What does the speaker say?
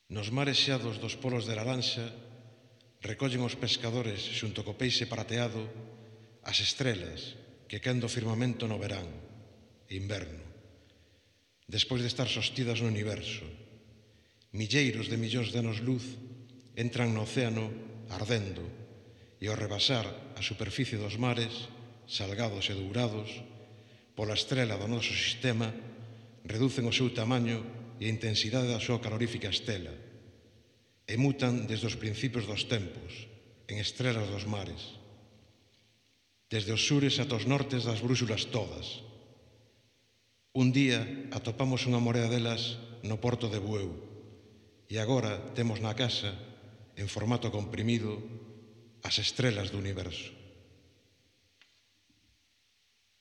Nos mares xeados dos polos de laranxa recollen os pescadores xunto co peixe prateado as estrelas que caen do firmamento no verán e inverno, despois de estar sostidas no universo. Milleiros de millóns de anos luz entran no océano ardendo e ao rebasar a superficie dos mares, salgados e dourados, pola estrela do noso sistema, reducen o seu tamaño e a intensidade da súa calorífica estela e mutan desde os principios dos tempos en estrelas dos mares, desde os sures ata os nortes das brúxulas todas. Un día atopamos unha morea delas no porto de Bueu e agora temos na casa, en formato comprimido, as estrelas do universo.